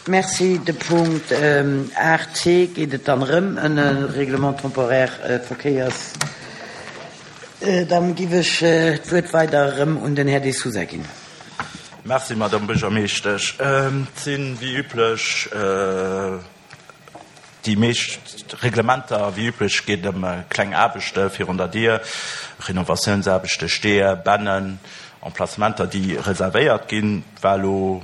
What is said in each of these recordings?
Merci. De Punkt 8c geet et dann erëm ëm e Règlement temporaire Verkéiers. Dann giff ech d'Wuert weider erëm un den Här De Sousa ginn. Merci, Madame Buergermeeschtesch. Et sinn, wéi üblech, déi meescht Reglementer. Wéi üblech geet et ëm kleng Aarbechte virun der Dier, Renovatiounsaarbechte, Steeër, Bennen, Emplacementer, déi reservéiert ginn. Et war elo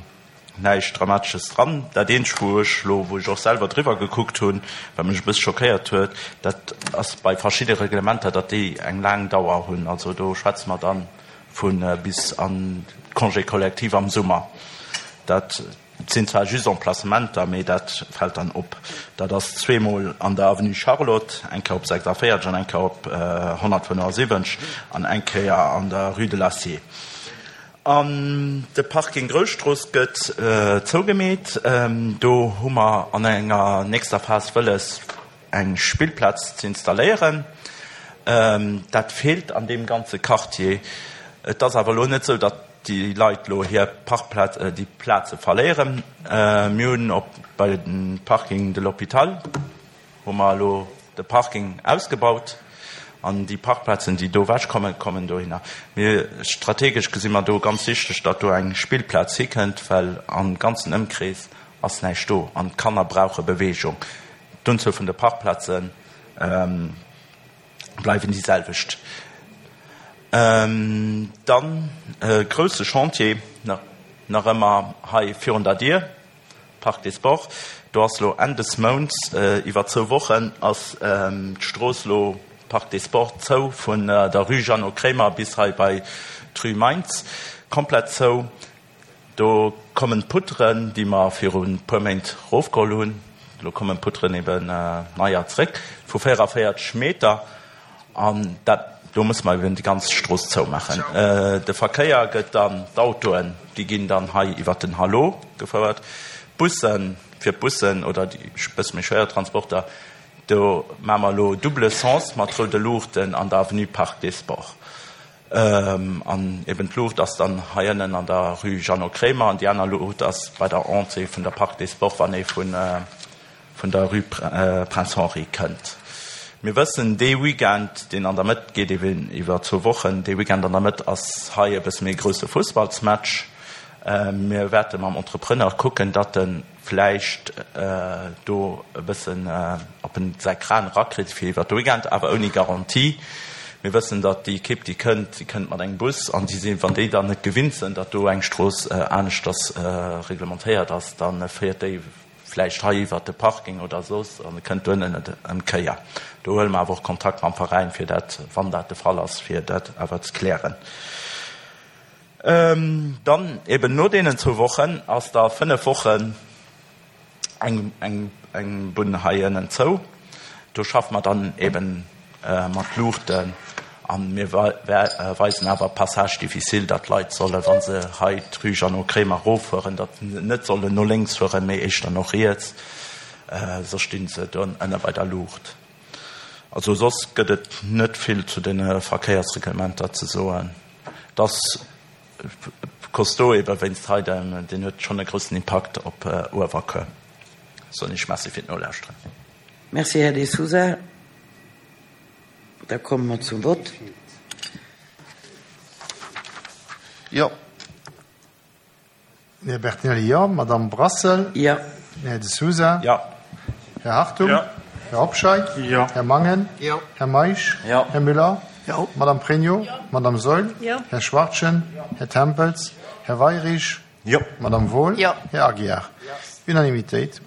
Näischt Dramatesches dran. Dat eenzegt, wou ech elo, wou ech och selwer driwwer gekuckt hunn, wat mech e bësse schockéiert huet, dat ass bei verschidde Reglementer, datt déi eng laang Dauer hunn. Also do schwätze mer da vu bis an d'Congés collectifs am Summer. Dat sinn zwar just Emplacementer, mee dat fält dann op. Dat ass zweemol an der Avenue Charlotte, eng Kéier op 46 an eng Kéier op 175 an eng Kéier an der Rue de l'Acier. An de Parking Grousstrooss gëtt zougemeet. Do hu mer an enger nächster Phas wëlles, eng Spillplaz ze installéieren. Dat feelt an deem ganze Quartier. Et ass awer elo net esou, datt déi Leit elo hir Parkplaz, déi Plaze verléieren. Mir hunn op bei dem Parking de l'Hôpital, hu mer elo de Parking ausgebaut an déi Parkplazen, déi do ewechkommen, kommen dohinner. Mir, strategesch gesi mer do ganz wichteg, datt do eng Spillplaz hikënnt, well am ganzen Ëmkrees ass näischt do an d'Kanner brauche Beweegung. D'Unzuel vun de Parkplaze bleiwen déi selwecht. Dann e grousse Chantier nach ëmmer hei virun der Dier. Parc des Sports, do ass lo Enn des Mounts, iwwer zwou Wochen ass d'Strooss lo Parc des Sports zou, vun der Rue Jeannot Kremer bis hei bei d'Rue Mainz, komplett zou. Do kommen d'Putteren, déi mer viru puer Méint rofgeholl hunn, lo kommen d'Putteren eben neier zréck, vu 44 Meter. An dat, do musse mer eben déi ganz Strooss zoumaachen. De Verkéier gëtt dann, d'Autoen, déi ginn dann hei iwwert den Hallo gefouert. D'Bussen, fir d'Bussen oder déi bësse méi schwéier Transporter, do maache mer elo double sens mat roude Luuchten an der Avenue Parc des Sports. An eben d'Luucht ass dann hei ënnen an der Rue Jeannot Kremer an déi aner Luucht ass bei der Entrée vun der Parc des Sports, wann ee vun vun der Rue Prince Henri kënnt. Mir wëssen, dee Weekend, deen an der Mëtt geet eben iwwer zwou Wochen, dee Weekend an der Mëtt ass hei e bësse méi grousse Fussballsmatch. Mir wäerte mam Entrepreneur kucken, datt e vläicht do e bëssen, ob en säi Kran erakritt fir iwwer de Weekend, awer ouni Garantie. Mir wëssen, datt déi Ekipp, déi kënnt, déi kënnt mat engem Bus an déi sinn, wann déi dann net gewinnt sinn, datt do eng Strooss aneschters reglementéiert ass, da féiert déi vläicht hei iwwert de Parking oder soss, an e kënnt duerno net ëm d'Kéier. Do huele mer awer och Kontakt mam Veräin, fir dat, wann dat de Fall ass, fir dat awer ze klären. Dann eben no deenen zwou Wochen ass da 5 Wochen eng, eng, eng Bunn hei ënnen zou. Do schaffe mer dann eben mat Luuchten a mir weisen awer Passage difficile, datt d'Leit solle wa se hei d'Rue Jeannot Kremer eroffueren, datt se net sollen no lénks fueren, mee éischter no riets, soss sti se do ënne bei der Luucht. Also soss gëtt et net vill zu deene Verkéiersreglementer ze soen. Et ass costaud ebe wéinst hei, deen huet schonn e groussen Impakt op Uewerkuer. Soen ech Merci fir d'Nolauschteren. Merci, Här De Sousa. Da komme mer zum Vott. Jo. Här Bertinelli, jo. Madamm Brassel? Jo. Här De Sousa? Jo. Här Hartung? Jo. Här Hobscheit? Jo. Här Mangen? Jo. Här Meisch? Jo. Här Müller? Jo. Madamm Pregno? Jo. Madamm Saeul? Jo. Här Schwachtgen? Jo. Här Tempels? Här Weirich? Jo. Madamm Wohl? Jo. Här Aguiar? Unanimitéit.